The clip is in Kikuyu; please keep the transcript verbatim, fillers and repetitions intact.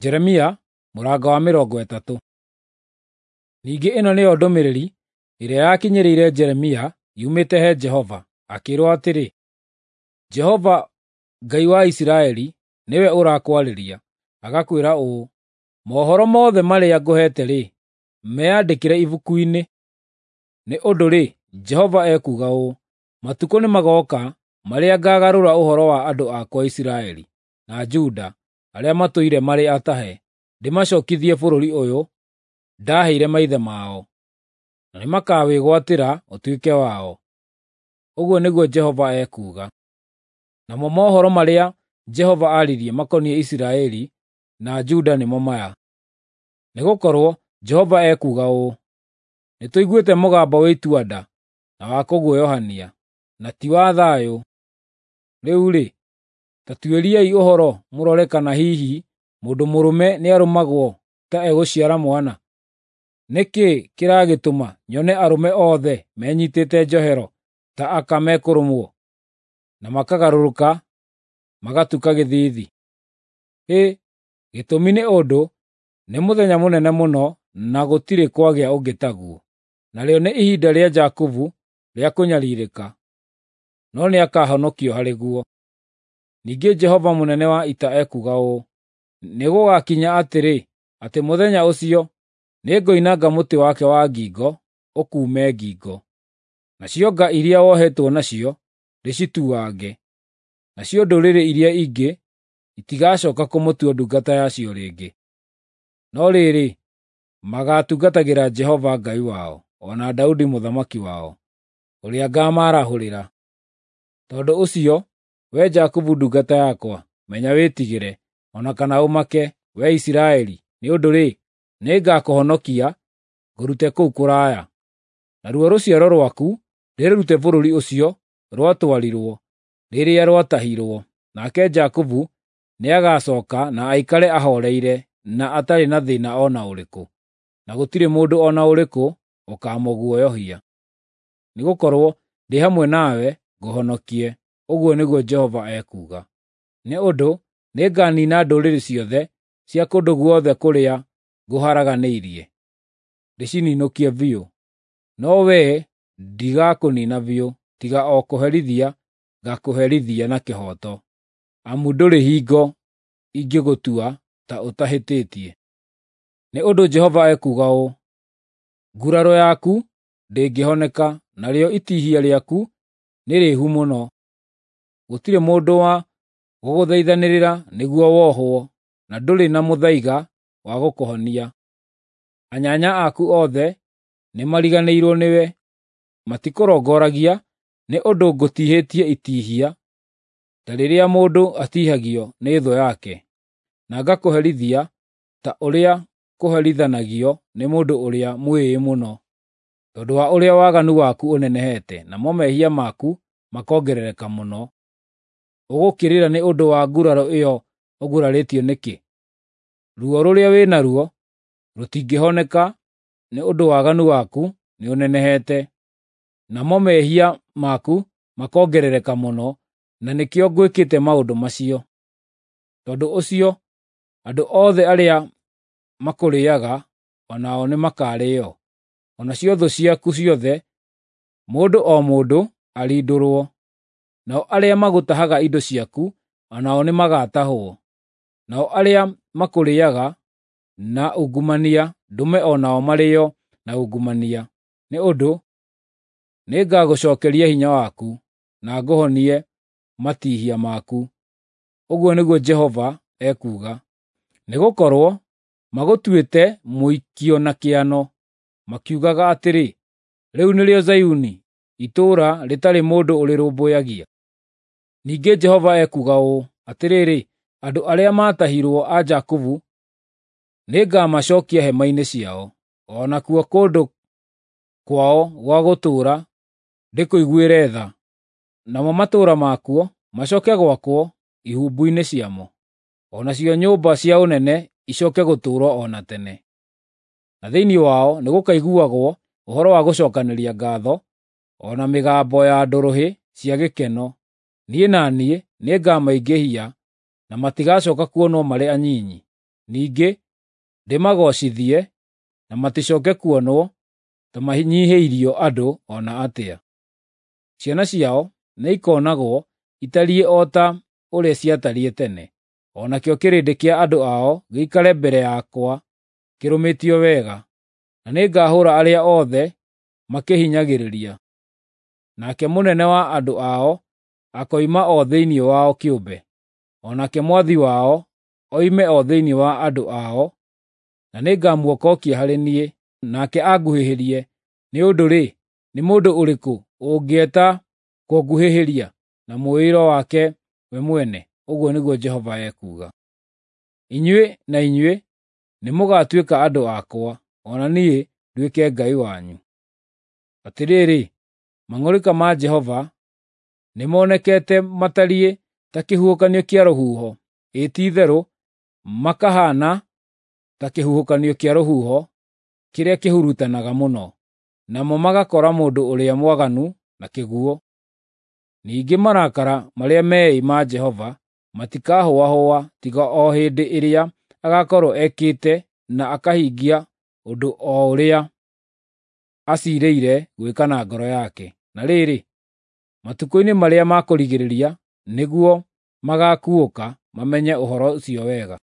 Jeremia mũrango wa mĩrongo ĩtatũ. Ningĩ ĩno nĩyo ndũmĩrĩri ĩrĩa yakinyĩrĩire Jeremia yumĩte he Jehova, akĩĩrwo atĩrĩ: Jehova Ngai wa Isiraeli nĩwe ũrakwarĩria, agakwĩra ũũ: Mohoro mothe marĩa ngũheete-rĩ, meandĩkĩre ibuku-inĩ. Nĩ ũndũ-rĩ, Jehova ekuuga ũũ: Matukũ nĩmagooka marĩa ngaagarũra ũhoro wa andũ akwa Isiraeli na Juda arĩa matũire marĩ atahe, ndĩmacookithie bũrũri ũyũ ndaaheire maithe mao, na nĩmakawĩgwatĩra ũtuĩke wao. Ũguo nĩguo Jehova ekuuga. Namo mohoro marĩa Jehova aaririe makoniĩ Isiraeli na Juda nĩmo maya: Nĩgũkorwo Jehova ekuuga ũũ: Nĩtũiguĩte mũgambo wa itua-nda na wa kũguoyohania, na ti wa thayũ. Rĩu-rĩ, ta tuĩriai ũhoro mũrore kana hihi mũndũ mũrũme nĩarũmagwo ta egũciara mwana. Nĩ kĩĩ kĩragĩtũma nyone arũme othe menyiitĩte njohero ta aka mekũrũmwo, na makagarũrũka magatuka gĩthiithi? Hĩ, gĩtũmi nĩ ũndũ nĩ mũthenya mũnene mũno na gũtirĩ kwagĩa ũngĩ taguo, narĩo nĩ ihinda rĩa Jakubu rĩa kũnyariirĩka, no nĩakahonokio harĩ guo. Ningĩ Jehova mũnene wa ita ekuuga ũũ: Nĩgũgakinya atĩrĩ, atĩ mũthenya ũcio nĩngoinanga mũtĩ wake wa ngingo ũkuume ngingo, nacio nga iria wohetwo nacio ndĩcituange, nacio ndũrĩrĩ iria ingĩ itigacooka kũmũtua ndungata yacio rĩngĩ. No rĩrĩ, magaatungatagĩra Jehova Ngai wao, o na Daudi mũthamaki wao, ũrĩa ngaamarahũrĩra. Tondũ ũcio, wee Jakubu ndungata yakwa, menya wĩtigĩre, o na kana ũmake, wee Isiraeli, nĩ ũndũ-rĩ, nĩngakũhonokia ngũrute kũu kũraya, naruo rũciaro rwaku ndĩrũrute bũrũri ũcio rwatwarirwo rĩrĩa rwatahirwo. Nake Jakubu nĩagacooka na aikare ahooreire na atarĩ na thĩĩna o na ũrĩkũ, na gũtirĩ mũndũ o na ũrĩkũ ũkaamũguoyohia. Nĩgũkorwo ndĩ hamwe nawe ngũhonokie, ũguo nĩguo Jehova ekuuga. Nĩ ũndũ nĩnganiina ndũrĩrĩ ciothe cia kũndũ guothe kũrĩa ngũharaganĩirie, ndĩcininũkie biũ. No wee ndigakũniina biũ, tiga o kũherithia ngaakũherithia na kĩhooto, amu ndũrĩ hingo ingĩgũtua ta ũtahĩtĩtie. Nĩ ũndũ Jehova ekuuga ũũ: Nguraro yaku ndĩngĩhoneka, narĩo itihia rĩaku nĩ rĩihu mũno. Gũtirĩ mũndũ wa gũgũthaithanĩrĩra nĩguo wohwo, na ndũrĩ na mũthaiga wa gũkũhonia. Anyanya aku othe nĩmariganĩirwo nĩwe, matikũrongoragia nĩ ũndũ ngũtihĩtie itihia ta rĩrĩa mũndũ atiihagio nĩ thũ yake, na ngakũherithia ta ũrĩa kũherithanagio nĩ mũndũ ũrĩa mwĩĩĩ mũno, tondũ wa ũrĩa waganu waku ũnenehete, namo mehia maku makongerereka mũno. Ũgũkĩrĩra nĩ ũndũ wa nguraro ĩyo ũgurarĩtio nĩkĩ? Ruo rũrĩa wĩ naruo rũtingĩhoneka nĩ ũndũ waganu waku nĩũnenehete, namo mehia maku makongerereka mũno, na nĩkĩo ngwĩkĩte maũndũ macio. Tondũ ũcio andũ othe arĩa makũrĩĩaga o nao nĩmakarĩĩo, o nacio thũ ciaku ciothe, mũndũ o mũndũ arindũrwo. Nao arĩa magũtahaga indo ciaku o nao nĩmagatahwo. Nao arĩa makũrĩĩaga na ungumania ndũme o nao marĩĩo na ungumania. Nĩ ũndũ nĩngagũcookeria hinya waku, na ngũhonie matihia maku. Ũguo nĩguo Jehova ekuuga. Nĩgũkorwo magũtuĩte mũikio na kĩano, makiugaga atĩrĩ, “Rĩu nĩrĩo Zayuni, itũũra rĩtarĩ mũndũ ũrĩrũmbũyagia.” Ningĩ Jehova ekuuga ũũ: Atĩrĩrĩ, andũ arĩa maatahirwo a Jakubu nĩngamacookia hema-inĩ ciao, o nakuo kũndũ kwao gwa gũtũũra ndĩkũiguĩre tha, namo matũũra makuo macooke gwakwo ihumbu-inĩ ciamo, o nacio nyũmba cia ũnene icooke gũtũũrwo o na tene. Na thĩinĩ wao nĩgũkaiguagwo ũhoro wa gũcookanĩria ngaatho, o na mĩgambo ya ndũrũhĩ cia gĩkeno. Niĩ na niĩ nĩngamaingĩhia na matigacooka kuonwo marĩ anyinyi. Ningĩ ndĩmagoocithie, na maticoke kuonwo ta manyiihĩirio andũ o na atĩa. Ciana ciao nĩikonagwo itariĩ o ta ũrĩa ciatariĩ tene, o nakĩo kĩrĩndĩ kĩa andũ ao gĩikare mbere yakwa kĩrũmĩtio wega, na nĩngahũũra arĩa othe makĩhinyagĩrĩria. Nake mũnene wa andũ ao akoima o thĩinĩ wao kĩũmbe, o nake mwathi wao oime o thĩinĩ wa andũ ao, na nĩngamuokokia harĩ niĩ, nake anguhĩhĩrie. Nĩ ũndũ-rĩ, nĩ mũndũ ũrĩkũ ũngĩeta kũnguhĩhĩria na mwĩĩro wake we mwene?" Ũguo nĩguo Jehova ekuuga. "Inyuĩ na inyuĩ nĩmũgatuĩka andũ akwa, o na niĩ nduĩke Ngai wanyu. Atĩrĩrĩ, mang'ũrĩka ma Jehova nĩmonekete matariĩ ta kĩhuhũkanio kĩa rũhuho, ĩĩ ti-itherũ makahaana ta kĩhuhũkanio kĩa rũhuho kĩrĩa kĩhurutanaga mũno, namo magakora mũndũ ũrĩa mwaganu na kĩguũ. Ningĩ marakara marĩa meĩ ma Jehova matikahũahũa tiga o hĩndĩ ĩrĩa agaakorwo ekĩte na akahingia ũndũ o ũrĩa aciirĩire gwĩka na ngoro yake. Na rĩrĩ, matukũ-inĩ marĩa ma kũrigĩrĩria nĩguo magaakuũka mamenye ũhoro ũcio wega.